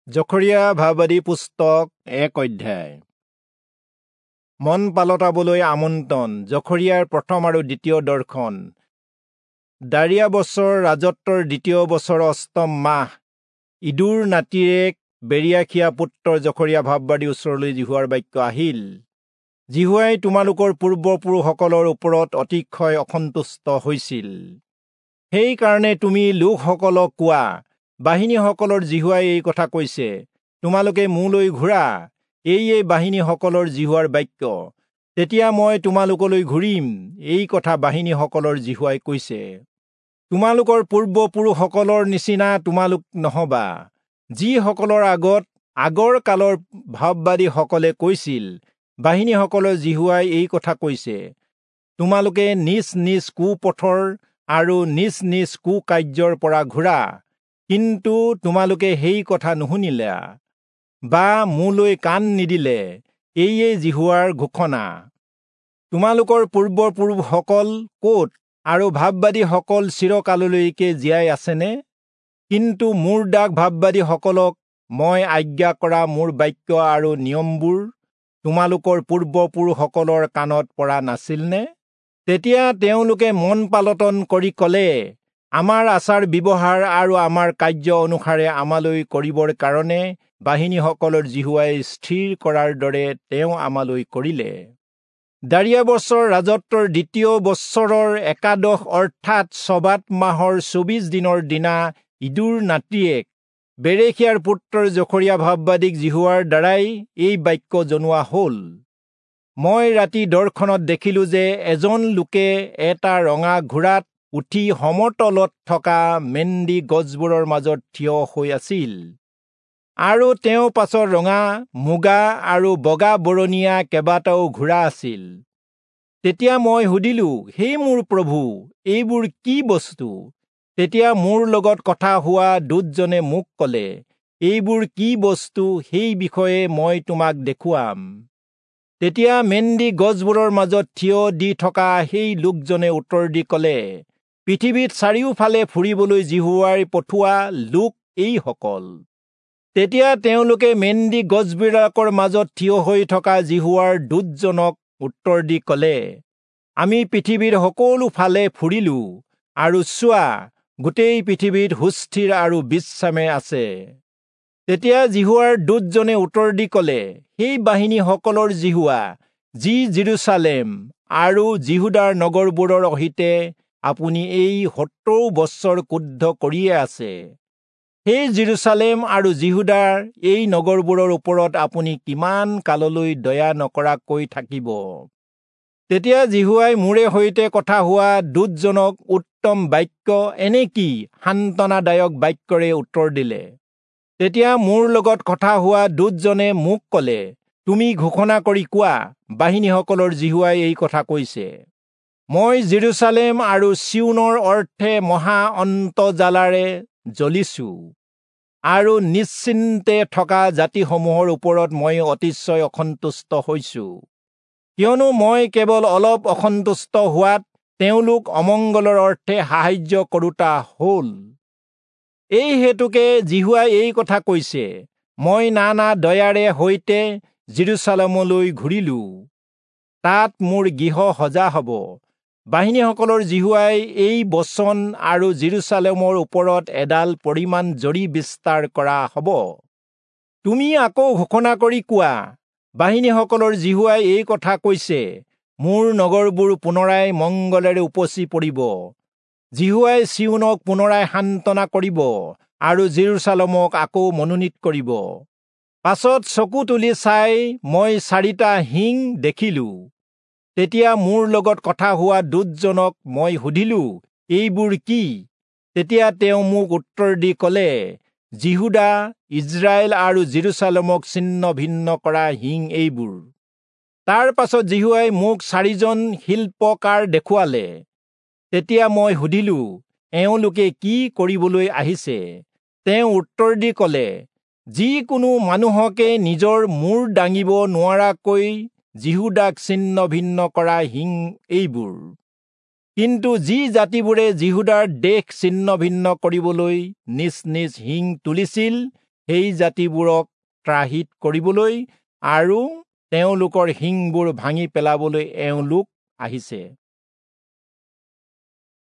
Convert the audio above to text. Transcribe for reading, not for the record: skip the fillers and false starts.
জখৰিয়া ভাববাদী পুস্তক 1 অধ্যায়। মন পালটাবলৈ আমন্ত্ৰণ। জখৰিয়াৰ প্ৰথম আৰু দ্বিতীয় দৰ্শন। দাৰিয়া বছৰ ৰাজত্বৰ দ্বিতীয় বছৰ অষ্টম মাহ ইদুৰ নাতিয়েক বেৰিয়াখিয়া পুত্ৰ জখৰিয়া ভাববাদীৰ ওচৰলৈ যিহোৱাৰ বাক্য আহিল। যিহোৱাই তোমালোকৰ পূৰ্বপুৰুষসকলৰ ওপৰত অতিশয় অসন্তুষ্ট হৈছিল। সেইকাৰণে তুমি লোকসকলক কোৱা, বাহিনীসকলৰ যিহোৱাই এই কথা কৈছে, তোমালোকে মোলৈ ঘূৰা, এইয়ে বাহিনীসকলৰ যিহোৱাৰ বাক্য। তেতিয়া মই তোমালোকলৈ ঘূৰিম, এই কথা বাহিনীসকলৰ যিহোৱাই কৈছে। তোমালোকৰ পূৰ্বপুৰুষসকলৰ নিচিনা তোমালোক নহবা, যিসকলৰ আগত আগৰ কালৰ ভাববাদীসকলে কৈছিল, বাহিনীসকলৰ যিহোৱাই এই কথা কৈছে, তোমালোকে নিজ নিজ কুপথৰ আৰু নিজ নিজ কুকাৰ্যৰ পৰা ঘূৰা। কিন্তু তোমালোকে সেই কথা নুশুনিলা বা মোলৈ কাণ নিদিলে, এইয়ে যিহোৱাৰ ঘোষণা। তোমালোকৰ পূৰ্বপুৰুষসকল ক'ত আৰু ভাববাদীসকল চিৰকাললৈকে জীয়াই আছেনে? কিন্তু মোৰ দাস ভাববাদীসকলক মই আজ্ঞা কৰা মোৰ বাক্য আৰু নিয়মবোৰ তোমালোকৰ পূৰ্বপুৰুষসকলৰ কাণত পৰা নাছিলনে? তেতিয়া তেওঁলোকে মন পালটন কৰি ক'লে, আমাৰ আচাৰ ব্যৱহাৰ আৰু আমাৰ কাৰ্য অনুসাৰে আমালৈ কৰিবৰ কাৰণে বাহিনীসকলৰ যিহোৱাই স্থিৰ কৰাৰ দৰে তেওঁ আমালৈ কৰিলে। দাৰিয়া বছৰ ৰাজত্বৰ দ্বিতীয় বছৰৰ একাদশ অৰ্থাৎ চবাত মাহৰ 24 দিনৰ দিনা ইদুৰ নাতিয়েক বেৰেখিয়াৰ পুত্ৰৰ জখৰিয়া ভাববাদীক যিহোৱাৰ দ্বাৰাই এই বাক্য জনোৱা হ'ল। মই ৰাতি দৰ্শনত দেখিলো যে এজন লোকে এটা ৰঙা ঘোঁৰাত উঠি সমতলত থকা মেন্দি গছবোৰৰ মাজত থিয় হৈ আছিল, আৰু তেওঁ পাছত ৰঙা, মুগা আৰু বগা বৰণীয়া কেইবাটাও ঘোঁৰা আছিল। তেতিয়া মই সুধিলো, হে মোৰ প্ৰভু, এইবোৰ কি বস্তু? তেতিয়া মোৰ লগত কথা হোৱা দূতজনে মোক ক'লে, এইবোৰ কি বস্তু সেই বিষয়ে মই তোমাক দেখুৱাম। তেতিয়া মেন্দি গছবোৰৰ মাজত থিয় দি থকা সেই লোকজনে উত্তৰ দি ক'লে, পৃথিৱীত চাৰিওফালে ফুৰিবলৈ যিহোৱাই পঠোৱা লোক এইসকল। তেতিয়া তেওঁলোকে মেন্দি গছবিলাকৰ মাজত থিয় হৈ থকা যিহোৱাৰ দূতজনক উত্তৰ দি ক'লে, আমি পৃথিৱীৰ সকলো ফালে ফুৰিলো, আৰু চোৱা, গোটেই পৃথিৱীত সুস্থিৰ আৰু বিশ্ৰামে আছে। তেতিয়া যিহোৱাৰ দূতজনে উত্তৰ দি ক'লে, সেই বাহিনীসকলৰ যিহোৱা, যি যিৰূচালেম আৰু যিহূদাৰ নগৰবোৰৰ সৈতে আপুনি এই 70 বছৰ ক্ৰুদ্ধ কৰিয়ে আছে, সেই যিৰূচালেম আৰু যিহূদাৰ এই নগৰবোৰৰ ওপৰত আপুনি কিমান কাললৈ দয়া নকৰাকৈ থাকিব? তেতিয়া যিহোৱাই মোৰে সৈতে কথা হোৱা দূতজনক উত্তম বাক্য, এনে কি সান্তনাদায়ক বাক্যৰে উত্তৰ দিলে। তেতিয়া মোৰ লগত কথা হোৱা দূতজনে মোক ক'লে, তুমি ঘোষণা কৰি কোৱা, বাহিনীসকলৰ যিহোৱাই এই কথা কৈছে, মই যিৰূচালেম আৰু চিয়োনৰ অৰ্থে মহা অন্তৰ্জ্বালাৰে জ্বলিছো, আৰু নিশ্চিন্তে থকা জাতিসমূহৰ ওপৰত মই অতিশয় অসন্তুষ্ট হৈছো। কিয়নো মই কেৱল অলপ অসন্তুষ্ট হোৱাত তেওঁলোক অমংগলৰ অৰ্থে সাহায্য কৰোতা হ'ল। এই হেতুকে যিহোৱাই এই কথা কৈছে, মই নানা দয়াৰে সৈতে যিৰূচালেমলৈ ঘূৰিলো, তাত মোৰ গৃহ সজা হ'ব। বাহিনীসকলৰ যিহোৱাই এই বচন আৰু যিৰূচালেমৰ ওপৰত এডাল পৰিমাণ জৰি বিস্তাৰ কৰা হ'ব। তুমি আকৌ ঘোষণা কৰি কোৱা, বাহিনীসকলৰ যিহোৱাই এই কথা কৈছে, মোৰ নগৰবোৰ পুনৰাই মংগলেৰে উপচি পৰিব। যিহোৱাই চিয়োনক পুনৰাই সান্তনা কৰিব আৰু যিৰূচালেমক আকৌ মনোনীত কৰিব। পাছত চকু তুলি চাই মই 4টা শিং দেখিলো। তেতিয়া মোৰ লগত কথা হোৱা দূতজনক মই সুধিলো, এইবোৰ কি? তেতিয়া তেওঁ মোক উত্তৰ দি ক'লে, যিহূদা, ইজৰাইল আৰু যিৰূচালেমক ছিন্ন ভিন্ন কৰা শিং এইবোৰ। তাৰ পাছত যিহোৱাই মোক 4জন শিল্পকাৰ দেখুৱালে। তেতিয়া মই সুধিলো, এওঁলোকে কি কৰিবলৈ আহিছে? তেওঁ উত্তৰ দি ক'লে, যিকোনো মানুহকে নিজৰ মূৰ দাঙিব নোৱাৰাকৈ যিহূদাক ছিন্ন ভিন্ন কৰা শিং এইবোৰ। কিন্তু যি জাতিবোৰে যিহূদাৰ দেশ ছিন্ন ভিন্ন কৰিবলৈ নিজ নিজ শিং তুলিছিল, সেই জাতিবোৰক ত্ৰাহিত কৰিবলৈ আৰু তেওঁলোকৰ শিংবোৰ ভাঙি পেলাবলৈ এওঁলোক আহিছে।